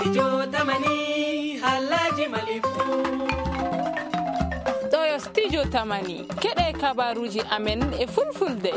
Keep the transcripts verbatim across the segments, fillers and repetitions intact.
Studio Tamani, haalaaji Mali fuu. Ɗo yo Studio Tamani, keɗe kabaruuji amen e fulfulde.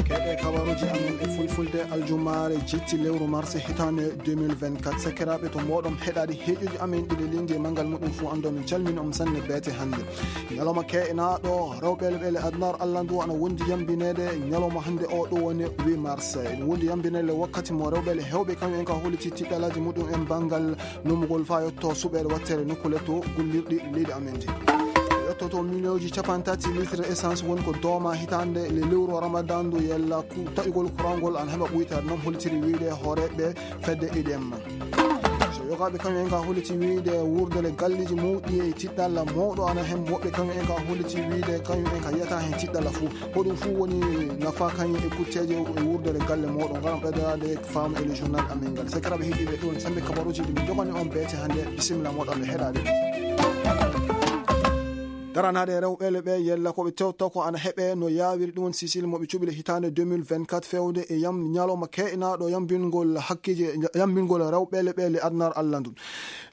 Keɗe kabaruuji amen e fulfulde, aljumaare jetti lewru mars hitaande deux mille vingt-quatre. Sakiraaɓe, to mooɗon heɗaade heeƴuuji amen ɗiɗi linndi e manngal muɗum fuu, anndon min calmini on sanne beete hannde. Ñalawma ke'inaaɗo rewɓe e ɓeele adunaaru Allah ndu ana wondi yambineede ñalawma hannde o, ɗum woni huit mars. Ene wondi yambineede wakkati mo rewɓe e heewɓe kañum en ka holliti tiɗɗalaaji muɗum en banngal nomugol faa yotto suɓeede watteere nokkuule to gollirɗi leydi amen ndi. Yottoto miliyonji cappanɗe tati litre essence woni ko dooma hitaande le lewru Ramadan ndu, yalla ku-, taƴugol kurangol ana heɓa ɓuytaade, noon hollitiri wiyde hooreeɓe fedde E D M. So yogaaɓe kañum en ka holliti wiyde wuurdere galleeji mawɗi e tiɗɗalla mawɗo ana heen, woɓɓe kañum en ka holliti wiyde kañum en ka yiyata heen tiɗɗalla fuu. Ko ɗum fuu woni nafa kañum e kutteeje e wuurdere galle mawɗo. Ngaram ɓeydaade faamu e le journal amen ngal. Sakiraaɓe heɗiiɓe, ɗum sambe kabaruuji ɗi min jogani on beete hannde. Bisimilla moɗon e heɗaade. Daranaade rewɓe le ɓe yella ko ɓe tewta ko ana heɓe no yaawiri ɗum on Sicile mo ɓe cuɓi le hitaande deux mille vingt-quatre fewde e yam ñalawma ke'inaaɗo yambingol hakkeeji, yambingol rewɓe le ɓe le adunaaru Allah ndun.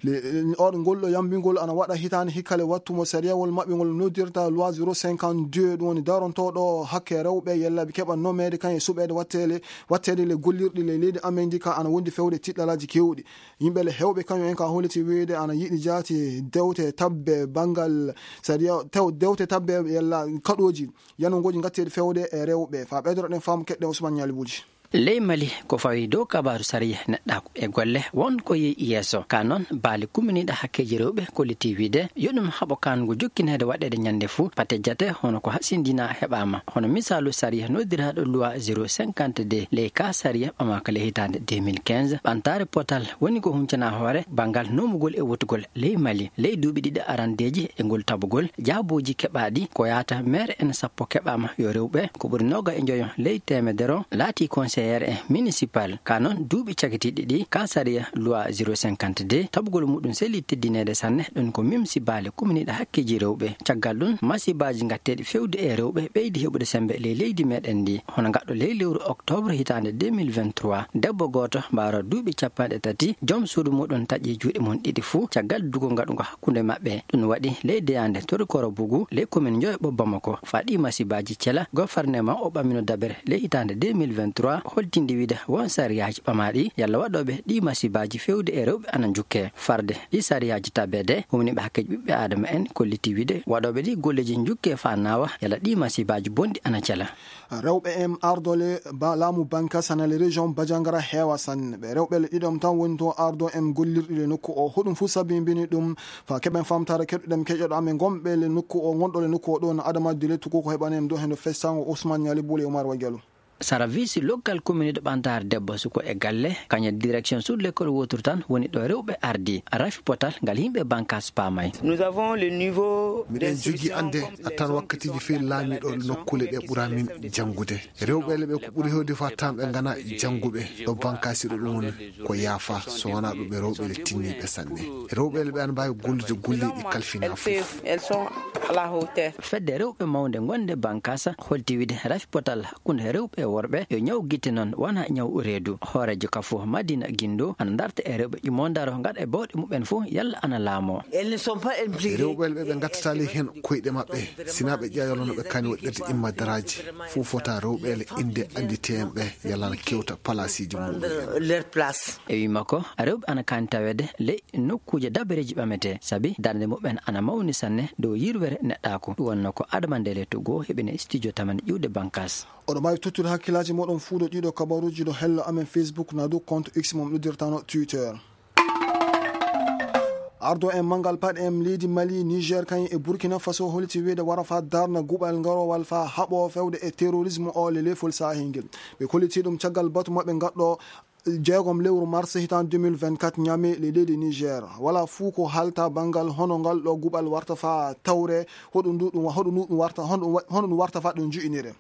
Le, oɗo ngol ɗo yambingol ana waɗa hitaande hikka le wattu mo sariyawol maɓɓe ngol noddirta loi zéro cinquante-deux, ɗum woni darontooɗo hakke rewɓe yella ɓe keɓa nomeede kañum e suɓeede watteele, watteede le gollirɗi le leydi amen ndi ka ana wondi fewde tiɗɗalaaji keewɗi. Yimɓe le heewɓe kañum en ka holliti wiyde ana yiɗi jaati dewte tabbe banngal sariya, tew-, dewte tabbe yalla kaɗooji yanungooji ngatteeɗi fewde e rewɓe. Faa ɓeydoro ɗen faamu keɗɗen Ousmane Ñaali Buuji. Ley Mali, ko fawi dow kabaaru sariya neɗɗaaku e golle won ko yehi yeeso. Ka noon, baali kumminiiɗo hakkeeji rewɓe kolliti wiyde yo ɗum haɓo kaango jokkineede waɗeede ñande fuu, pate jate hono ko hasindinaa heɓaama. Hono misaalu sariya noddiraaɗo loi zéro cinquante-deux, ley ka sariya ɓamaaka ley hitaande deux mille quinze, ɓantaare potal woni ko huncana hoore banngal nomugol e wotugol ley Mali. Ley duuɓi ɗiɗi arandeeji e ngol tabugol, jaabuuji keɓaaɗi ko yaata maire en sappo keɓaama, yo rewɓe ko ɓuri noga e njoyo ley teemedere o laati conseillère en municipal. Ka noon, duuɓi cakitiiɗi ɗi, ka sariya loi zéro cinquante-deux, tabugol muɗum selli teddineede sanne, ɗum ko mimsi baali kumminiiɗo hakkeeji rewɓe. Caggal ɗum, masibaaji ngatteeɗi fewde e rewɓe ɓeydi heɓude sembe ley leydi meɗen ndi. Hono ngaɗɗo ley lewru octobre hitaande deux mille vingt-trois, debbo gooto mbaaro duuɓi cappanɗe tati, joom suudu muɗum taƴi juuɗe mum ɗiɗi fuu caggal dugol ngaɗungo hakkunde maɓɓe. Ɗum waɗi ley deyaande Torokoro Bugu, ley commune Njoyoɓo Bamako. Faa ɗi masibaaji cela, gofarnema o ɓamino dabere ley hitaande deux mille vingt-trois, holtindi wiyde won sariyaaji ɓamaaɗi yalla waɗooɓe ɗi masibaaji fewde e rewɓe ana njukke. Farde ɗi sariyaaji tabeede, humniiɓe hakkeeji ɓiɓɓe Aadama en kolliti wiyde waɗooɓe ɗi golleeji njukke faa naawa yalla ɗi masibaaji bonɗi ana cela. Rewɓe en ardole ba-, laamu Bankas hana le région Bajangara heewa sanne. Ɓe rewɓe le ɗiɗon tan woni to ardo en gollirɗi le nokku o. Hoɗum fuu sabimbini ɗum? Faa keɓen famtaare keɗuɗen keƴoɗo amen gonɓe le nokku o, gonɗo le nokku o ɗo no Adama Dile Tuku ko heɓani en ɗo heno festango Ousmane Ñali Bule Umar Wagelu. Sara visi lokkal commune de ɓantaare debbo suko e galle, kañe direction sur l'école woturu tan woni ɗo rewɓe ardi. Rafi potal ngal yimɓe Bankas paamay. Nous avons le niveau miɗen jogii annde attan wakkatiiji feewi laamiiɗo nokkuule ɗe ɓura min janngude. Rewɓe le ɓe ko ɓuri heewde faa tan ɓe ngana jannguɓe ɗo Bankaasi ɗo ɗum woni ko yaafa, so wonaa ɗum ɓe rewɓe le tinniiɓe sanne. Rewɓe le ɓe ana mbaawi gollude golleeji ɗi kalfinaa fof. Elles sont à la hauteur. Fedde rewɓe mawnde gonde Bankasa holti wide rafi potal hakkunde rewɓe e worɓe yo ñaw gitte noon wona ñaw reedu. Hooreejo ka fof Madina Gindo ana darta e rewɓe ƴumo ndaro ngaɗa e bawɗe muɓɓen fof yalla ana laamo. Elles ne sont pas impliquées. Rewɓe le ɓe ngattata le heen koyɗe maɓɓe. Sina ɓe ƴeewa no ɓe kani waɗirde imma daraaji. Fof fota rewɓe le innde annditee en ɓe yalla ana kewta palaasiiji muɓɓen. Leur place. E wii makko, rewɓe ana kaani taweede ley nokkuuje dabareeji ɓametee, sabi darnde muɓɓen ana mawni sanne dow yirwere neɗɗaaku. Ɗum wonno ko Adama Ndele to goo heɓine studio tamani ƴiwde Bankas. Oɗo mbaawi tottude hakkillaaji mooɗon fuu ɗo ɗiɗo kabaruuji ɗo hello amen Facebook naa dow compte X mo noddirtano Twitter. Ardo en manngal paɗe en leydi Mali, Niger, kañum e Burkina Faso holiti wiyde wara faa darna guɓal ngarowal faa haɓo fewde e terrorisme o le leefol saahingel. Ɓe kolliti ɗum caggal batu maɓɓe ngaɗɗo jeegom lewru mars hitaan deux mille vingt-quatre Niamey le leydi Niger. Walaa fuu ko haalta banngal hono ngal ɗo guɓal warta faa tawre, hoɗum ndu ɗum wa-, hoɗum ndu ɗum warta, hono ɗum wa-, hono ɗum warta faa ɗum nju'inire.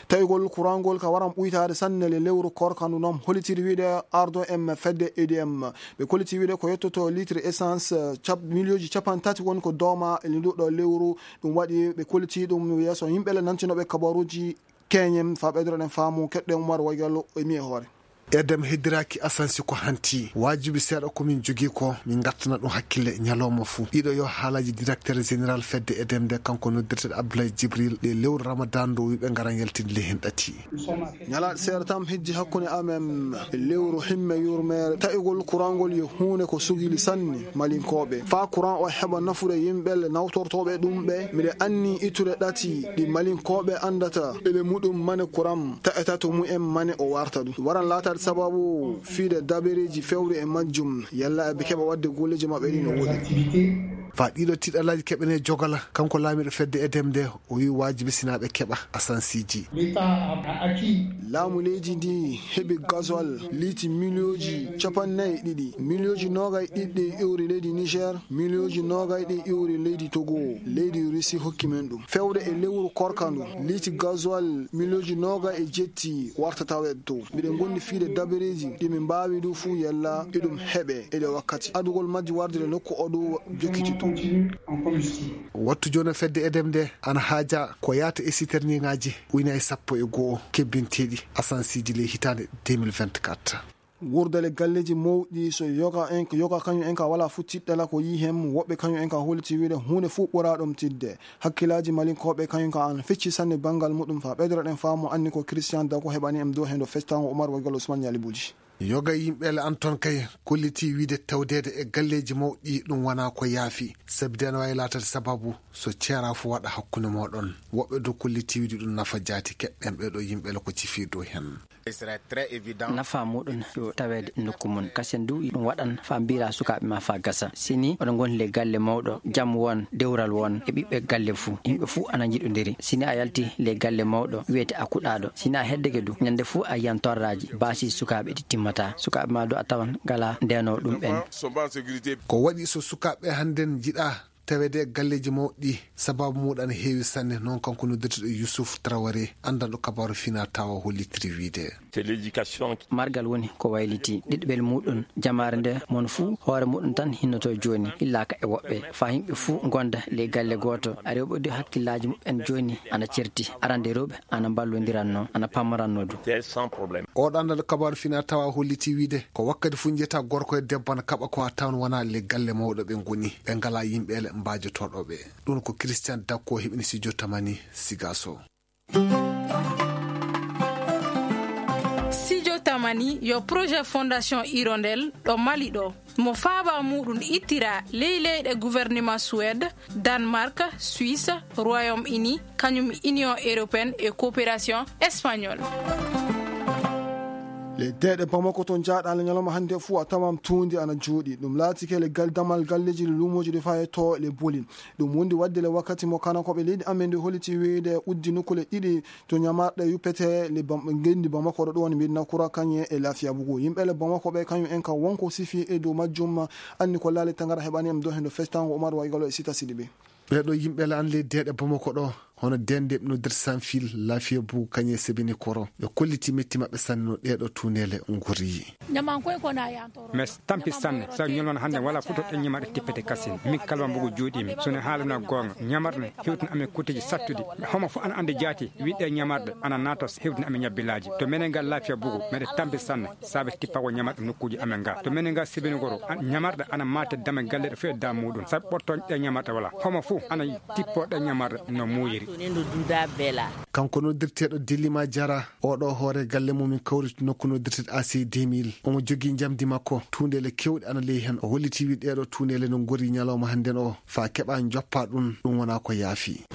Taƴugol kurangol ka waran ɓuytaade sanne le lewru korka ndu noon, holitiri wiyde ardo en fedde E D M. Ɓe koliti wiyde ko yettoto litre essence, eh, cap-, miliyonji cappanɗe tati woni ko dooma e ndu ɗo lewru. Ɗum waɗi ɓe koliti ɗum yeeso yimɓe le nantinooɓe kabaruuji keñen faa ɓeydoɗen faamu keɗɗen Umar Waygallo e mi e hoore. Edem heddiraaki asansi ko hanti. Waajibi seeɗa ko min jogii ko, min ngattana ɗum hakkille ñalawma fuu. Ɗiɗo yo haalaaji directeur général fedde Edem nde, kanko noddirteeɗo Abdoulaye Djibril, ɗe lewru Ramadan ndu, wiɓe ngaran yaltinde ley hen ɗati. Ñalaaɗe seeɗa tan hejji hakkunde amen e lewru himme yurmeere. Taƴugol kurangol yo huunde ko sugili sanne Malinkooɓe. Faa kuran o heɓa nafude yimɓe le nawtortooɓe ɗum ɓe, miɗe anni ittude ɗati ɗi Malinkooɓe anndata. Ele muɗum mane kuran taƴata to mumen mane o warta ɗum. Waran laataade sababu fiide dabareeji fewre e majjum. Yalla eɓe keɓa waɗde golleeji maɓɓe ɗi no woodi. Faa ɗiɗo tiɗalaaji keɓene jogala, kanko laamiiɗo fedde Edem nde, o wi'i waajibi sinaa ɓe keɓa asansiiji. Laamu leydi ndi heɓi gasoil liiti miliyooji capanɗe nayi e ɗiɗi, miliyooji noogay ɗiɗi ɗi iwri leydi Niger, miliyooji noogay ɗi iwri leydi Togo, leydi Russie hokki men ɗum. Fewde e lewru korka ndu, liiti gasoil miliyooji noogay e jetti warta taweede to. Miɗen ngondi fiide dabareeji ɗi min mbaawi du fuu yalla iɗum heɓe e ɗe wakkati. Adugol majji warde le nokku o du jokkiti to. Wattu jooni fedde Edem nde ana haaja ko yaata e siterniŋaaji ujunaaji sappo e go'o kebbinteeɗi asansiiji ley hitaande deux mille vingt-quatre. Wurdere galleeji mawɗi so yoga en, yoga kañum en ka wala fu tiɗɗala ko yii hem, woɓɓe kañum en ka holliti wiide huunde fu ɓuraa ɗum tiɗde. Hakkilaaji Malinkooɓe kañum ka an fecci sanne banngal muɗum fa ɓeydoro ɗen faamu anni ko Christian Dago heɓani em dow hendo festango Umar Wagol Ousmane Ñaali Buji. Yoga yimɓe le an ton kay kolliti wiide tawdeede e galleeji mawɗi ɗum wonaa ko yaafi, sabi dena waawi laatade sababu so ceeraa fu waɗa hakkunde mooɗon. Woɓɓe dow kolliti wiide ɗum nafa jaati keɓɓen ɓee ɗo yimɓe le ko cifi dow hen. Nafa muɗum yo taweede nokku mum. Kasen du ɗum waɗan faa mbiira sukaaɓe ma faa gasa. Sini oɗo ngondi le galle mawɗo, jam won, dewral won, e ɓiɓɓe galle fuu. Yimɓe fuu ana njiɗondiri. Sini a yalti le galle mawɗo, wiyete a kuɗaaɗo. Sini a heddeke du, ñande fuu a yiyan torraaji, baasi sukaaɓe ɗi timmataa. Sukaaɓe ma du a tawan ngalaa ndeenoo ɗum ɓen. Ko waɗi so sukaaɓe hannden njiɗaa taweede e galleeji mawɗi, sababu muuɗum ana heewi sanne, noon kanko noddirteeɗo Youssouf Traoré, anndanɗo kabaaru finaa tawa hollitiri wiide. Margal woni ko wayliti ɗiɗɓel muuɗum, jamaare nde mon fuu hoore muuɗum tan hinnoto jooni, hillaaka e woɓɓe, faa yimɓe fuu ngonda ley galle gooto. Rewɓe du hakkillaaji muɓɓen jooni ana certi, arande rewɓe ana mballondiranno, ana pammoranno du. Oɗo anndanɗo kabaaru finaa tawa holliti wiide ko wakkati fuu njiyata gorko e debbo ana kaɓa ko a tawan wonaa le galle mawɗo ɓe ngoni, ɓe ngalaa yimɓe le mbaajotooɗo ɓe. Ɗum ko Christian Dakko heɓini studio Tamani Sigaso. Studio Tamani yo projet Fondation Hirondelle ɗo Mali ɗo. Mo faaba muɗum ittira ley leyɗe gouvernement Suède, Danemark, Suisse, Royaume-Uni, kañum Union Européenne e Coopération Espagnole. Le deeɗe Bamako to njaaɗa le ñalawma hannde fuu a tawam tuundi ana jooɗi. Ɗum laatike le gal damal galleeji le luumooji ɗi fayetoo le boli. Ɗum wondi waɗde le wakkati mo kanakooɓe leydi amen ndi holliti wiide uddi nokkule ɗiɗi to ñamarɗe yuppete le Bam-, ngenndi Bamako ɗo ɗum woni Medina Kura kañe e Lafiya Bugu. Yimɓe le Bamako ɓe kañum en ka wonko sifi e dow majjum anni ko laali tangara heɓani em dow hendo festango Umar Waygalo e Sita Sidibe. Ɓeeɗo yimɓe le an ley deeɗe Bamako ɗo, hono dende ɓe noddirta Sanfil, Lafiya Bugu kañe e Sebini Koro. Ɓe kolliti metti maɓɓe sanne no ɗeeɗo tuuneele ngorri. Mes tampi sanne, sa ñolon hannde wala futo ɗen ñamarɗe tippete kasin. Min kalma mbugu juuɗimi. So ne haaluna goonga, ñamarɗe hewtina amen kutteji sattuɗi. Homo fof ana andi jaati, wiɗɗe ñamarɗe ana naata hewtina amen ñabbilaaji. To menen ngal Lafiya Bugu, meɗe tampi sanne, saabe tippago ñamarɗe nokkuuji amen nga. To menen ngal Sebini Koro, an-, ñamarɗe ana maate dame galle ɗe fof e dam muɗum. Saabe ɓortoñ ɗe ñamarɗe wala. Homo fof ana tippo ɗe ñamarɗe no muuyiri. Kanko noddirteeɗo Dilima Jara, oɗo hoore galle mum min kawriti nokku noddirteeɗo A C deux mille. Omo jogii njamdi makko, tuundeele kewɗe ana ley hen. O holliti wi ɗeeɗo tuundeele no ngori ñalawma hannden o, faa keɓa njoppa ɗum, ɗum wonaa ko yaafi.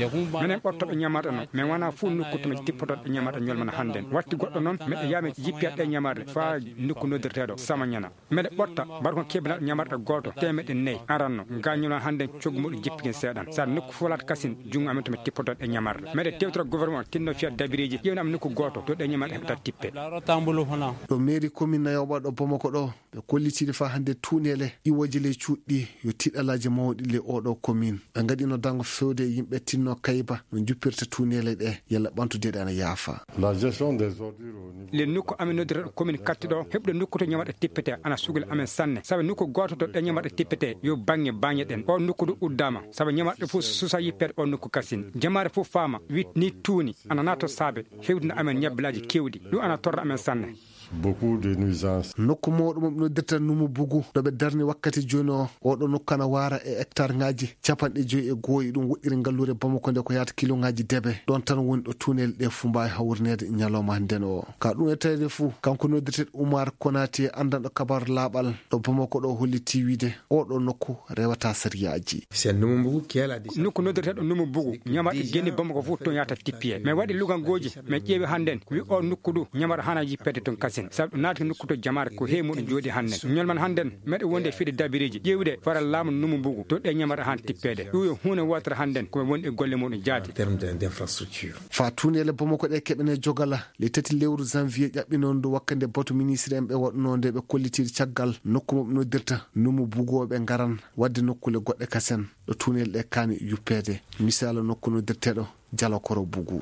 Menen ɓortoɓe ñamarɗe noon, min wonaa fuu nokku to min tippotoɗe ñamarɗe ñolmana hannden. Watti goɗɗo noon, meɗe yaami jippiya ɗe ñamarɗe faa nokku noddirteeɗo Samañana. Meɗe ɓorta barko kebinal ñamarɗe gooto teemeɗɗe nayi aranno. Gañol an hannden coggu muɗum jippiken seeɗan. Sa nokku fof laata kasin junngo amen to mi tippoto ɗe ñamarɗe. Meɗe tewtora gouvernement tinno fiya dabireeji ƴeewna am nokku gooto to ɗe ñamarɗe heɓata tippe. Ɗo mairie commune Nayoɓa ɗo Bamako ɗo, ɓe kollitiiɗe faa hannde tuuneele iwooje ley cuuɗi yo tiɗalaaji mawɗi ley oɗo commune. Ɓe ngaɗino dango fewde e yimɓe tinno kayba no njuppirta tuuneele ɗe, yalla ɓantude ɗe ana yaafa. La gestion des ordures au niveau. Le nokku amen noddirta ɗo commune Katti ɗo, heɓde nokku to ñamarɗe tippete ana sugla amen sanne. Sabu nokku gooto to ɗe ñamarɗe tippete yo baŋŋe baañe ɗen. O nokku ɗo uddaama. Sabu ñamarɗe fof susa yippeede o nokku kasin. Jamaare fof faama, wit ni tuuni, ana naato saabe, hewtina amen ñabbilaaji keewɗi. Ɗum ana torra amen sanne. Beaucoup de nuisances. Nokku mawɗo mo ɓe noddirta Numu Bugu, ɗo ɓe darni wakkati jooni o, oɗo nokku ana waara e hectare ŋaaji capanɗe joyi e go'o, ɗum woɗɗiri ngalluure Bamako nde ko yaata kilo ŋaaji debe. Ɗon tan woni ɗo tuunel ɗe fuu mbaawi hawrineede ñalawma hannden o. Ka ɗum e tawde fuu, kanko noddirteeɗo Umar Konate, anndanɗo kabaru laaɓal ɗo Bamako ɗo, holliti wiide oɗo nokku rewata sariyaaji. C'est Numu Bugu qui a la décision. Nokku noddirteeɗo Numu Bugu, ñamar geni Bamako fof toon yahata tippiyee. Mais waɗi lugangooji, mais ƴeewi hannden, wi o nokku ɗo, ñamar hana yippeede toon kasen. Sabu ɗo naati nokku to jamaare ko heewi muɗum jooɗi hannden. Ñolman hannden, meɗe wonde e fiɗe dabireeji, ƴeewde fara laamu Numu Bugu, to ɗe ñamar hana tippeede. Ɗum yo huunde wootere hannden, ko woni e golle muɗum jaati. En termes de, d'infrastructure. Fa tuuneele Bamako ɗe keɓene jogala, le tati lewru janvier ƴaɓɓinoondu wakkande batu ministre en ɓe waɗunoo nde ɓe kollitiiɗo caggal nokku mo ɓe noddirta Numu Bugu o ɓe ngaran. Waɗde nokkuule goɗɗe kasen ɗo tuunel ɗe kaani yuppeede, misaala nokku noddirteeɗo Jalakoro Bugu.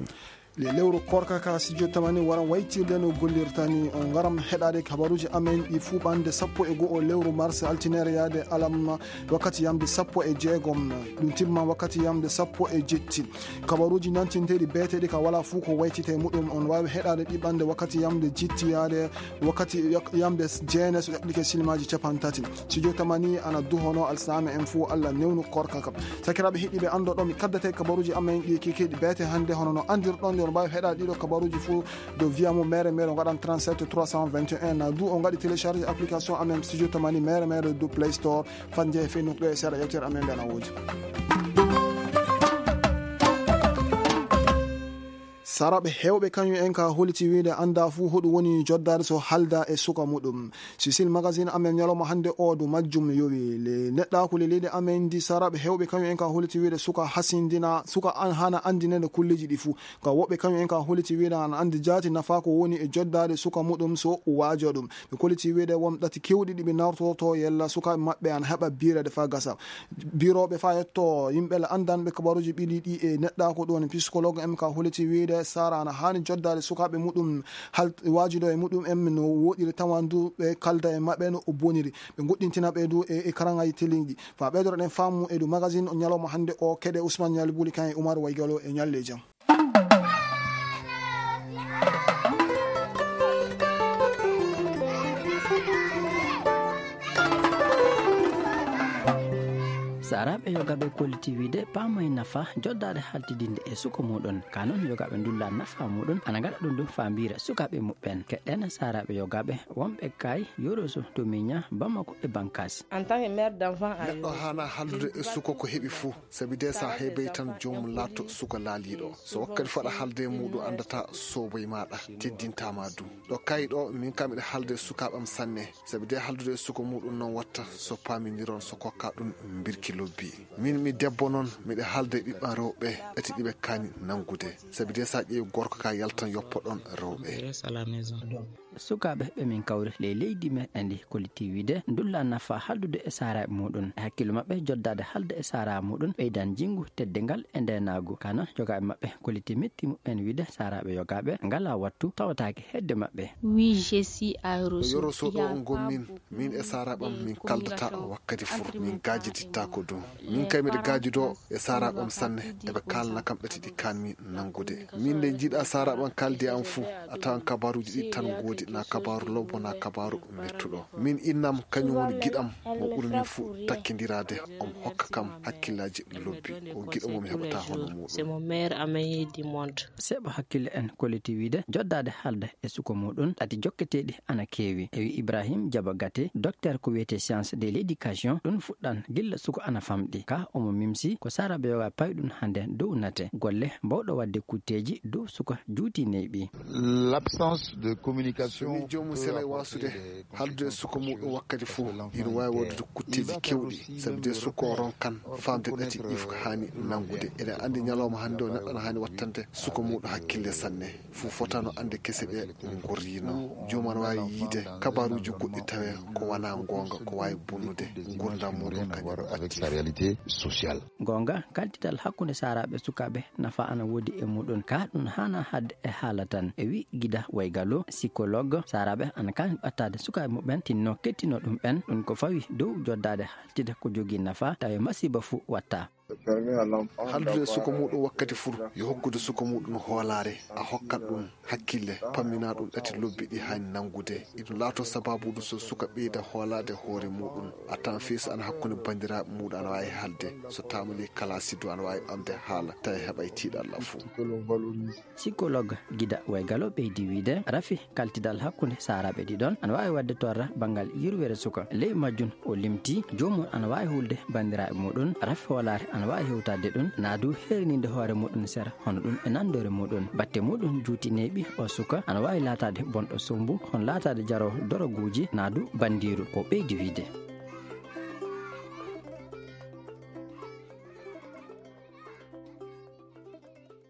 Le lewru korka ka studio tamani wara waytirde no gollirta ni, on ngaram heɗaade kabaruuji amen ɗi fuu ɓannde sappo e go'o lewru mars, altine yaade alarba wakkati yamde sappo e jeegom, ɗum timma wakkati yamde sappo e jetti. Kabaruuji nantinteeɗi beeteeɗi ka wala fuu ko waytite muɗum, on waawi heɗaade ɗi ɓannde wakkati yamde jetti yaade wakkati yak-, yamde jeene so ƴaɓɓike silmaaji capanɗe tati. Studio tamani ana duhono alsame en fuu, Allah newnu korka ka. Sakiraaɓe heɗiiɓe, anndo ɗo mi kaddate kabaruuji amen ɗi kikiiɗi beete hannde, hono no anndirɗon, on mbaawi heɗaade ɗiɗo kabaruuji fuu dow via mo mere mere, ngaɗan trente-sept trois cent vingt et un, na du o ngaɗi télécharge application amen Studio tamani mere mere dow Play Store, fanje e Facebook ɗo e seeɗa yewtere amen nde ana woodi. Saraaɓe heewɓe kañum en ka holiti wiide annda fuu hoɗum woni joddaade so halda e suka muɗum. Cecil Magazine amen ñalawma hannde o dow majjum yowi. Le neɗɗaaku le leydi amen ndi, saraaɓe heewɓe kañum en ka holiti wiide suka hasindina, suka an hana anndinede kulleeji ɗi fuu. Ka woɓɓe kañum en ka holiti wiide ana anndi jaati nafa ko woni e joddaade suka muɗum so waajo ɗum. Ɓe koliti wiide won ɗati keewɗi ɗi ɓe nawtorto yella sukaaɓe maɓɓe ana heɓa biireede faa gasa. Birooɓe faa yetto yimɓe la anndanɓe kabaruuji ɓili ɗi e neɗɗaaku, ɗum woni psychologue en ka holiti wiide sara ana haani joddaade sukaaɓe muɗum, hal waajudo e muɗum en no woɗɗiri, tawan du ɓe kalda e maɓɓe no o boniri. Ɓe goɗɗintina ɓe du e, e karaŋaaji teliiɗi. Faa ɓeydoro ɗen faamu e du magazine o ñalawma hannde o, keɗe Ousmane Ñaali Buli kan e Oumar Waygalo e ñalle jam. Saaraaɓe yogaaɓe kolliti wiide paamay nafa joddaade haltidinde e suko muɗum. Ka noon yogaaɓe ndulla nafa muɗum, ana ngaɗa ɗum ɗum faambiira sukaaɓe muɓɓen. Keɗɗen saaraaɓe yogaaɓe wonɓe kay Yoroso to Miña, Bamako e Bankas. En tant que mère d'enfant à Neɗɗo Yoro, haana haldude e suko ko heɓi fuu. Sabi de so a heɓii tan joomum laatto suka laaliiɗo. So wakkati fuu aɗa haalda e muuɗum anndataa soobay maaɗa, teddintaa ma du. Ɗo kayi ɗo, min kam miɗa haalda e sukaaɓe am sanne. Sabi de haaldude e suka muuɗum noon watta so paamindiron so kokka ɗum mbirki lobbi. Min mi debbo noon, miɗa haalda e ɓiɓɓe am rewɓe, ɗati ɗi ɓe kaani nanngude. Sabi de so a ƴeewi gorko ka yaltan yoppa ɗon rewɓe. Je reste à la maison. Sukaaɓe ɓe min kawri ley leydi meɗen ndi kolliti wiide ndulla nafa haldude e saaraaɓe muɗum. E hakkillo maɓɓe joddaade haalda e saaraaɓe muɗum ɓeydan jinngu, teddingal e ndeenaagu. Ka noon yogaaɓe maɓɓe kolliti metti muɓɓen wiide saaraaɓe yogaaɓe ngalaa wattu tawataake hedde maɓɓe. Oui, je suis à Yoroso. Yoroso ɗo on ngon min, min e saaraaɓe am min kaldata wakkati fuu, min gaajidittaa ko du. Min kay miɗa gaajudo e saaraaɓe am sanne, eɓe kaalana kam ɗati ɗi kaanmi nanngude. Min nde njiɗa saaraaɓe am kaaldi e am fuu, a tawan kabaaruuji ɗiɗi tan ngoodi, na kabaaru lobbo, na kabaaru mettuɗo. Min innam, kañum woni giɗam, mo ɓuri min fuu takkindiraade, omo hokka kam hakkillaaji lobbi. O giɗo mo mi heɓataa hono muuɗum. C'est mon meilleur ami du monde. Seeɓa hakkille en kolliti wiide joddaade haalda e suka muɗum, ɗati jokketeeɗi ana keewi. E wi Ibrahim Jaba Gate, docteur ko wiyetee science de l'éducation, ɗum fuɗɗan gilla suka ana famɗi. Ka omo mimsi ko saaraaɓe yogaaɓe pawi ɗum hannde dow nate golle mbawɗo waɗde kutteeji dow suka juuti neyɓi. L'absence de communication. So ni joomum selay waasude haaldude e suka muuɗum wakkati fuu, ina waawi waɗude kutteeji keewɗi, sabi de suka o ronkan faamde ɗati ɗi ko haani nanngude. Eɗen anndi ñalawma hannde o neɗɗo ana haani wattande suka muuɗum hakkille sanne. Fuu fotano annde kese ɗe ngorrino. Joomum ana waawi yiide kabaaruuji goɗɗi tawe ko wanaa ngoonga, ko waawi bonnude nguurndam muuɗum kañum. Avec sa réalité sociale. Goonga, kaldital hakkunde saaraaɓe sukaaɓe nafa ana woodi e muɗum. Ka ɗum haana haɗde e haala tan. E wi Gida Waygalo, psychologue, saaraaɓe ana kaani ɓattaade sukaaɓe muɓɓen, tinno kettino ɗum ɓen. Ɗum ko fawi dow joddaade haaltide ko jogii nafa, tawi masiiba fuu watta. Haldude e suka muɗum wakkati fuu, yo hokkude suka muɗum hoolaare, a hokkat ɗum hakkille, pamminaa ɗum ɗati lobbi ɗi haani nanngude. Iɗum laatoo sabaabuudu so suka ɓeyda hoolaade hoore muɗum. A tawan fii so ana hakkunde banndiraaɓe muɗum ana waawi haalde, so taamalii kalaasi du ana waawi ɓamde haala, tawi heɓay tiiɗalla fuu. Psychologue Gida Waygalo ɓeydi wiide, rafi kaltidal hakkunde saaraaɓe ɗiɗon ana waawi waɗde torra banngal yurweere suka. Ley majjum o limti, joomum ana waawi hulde banndiraaɓe muɗum, rafi hoolaare ana waawi hewtaade ɗum, naa du heerininde hoore muɗum sera, hono ɗum e nanndoore muɗum. Batte muɗum juuti neeɓi, o suka ana waawi laataade bonɗo sombu, hono laataade jaroowo doroguuji, naa du banndiiru, ko ɓeydi wiide.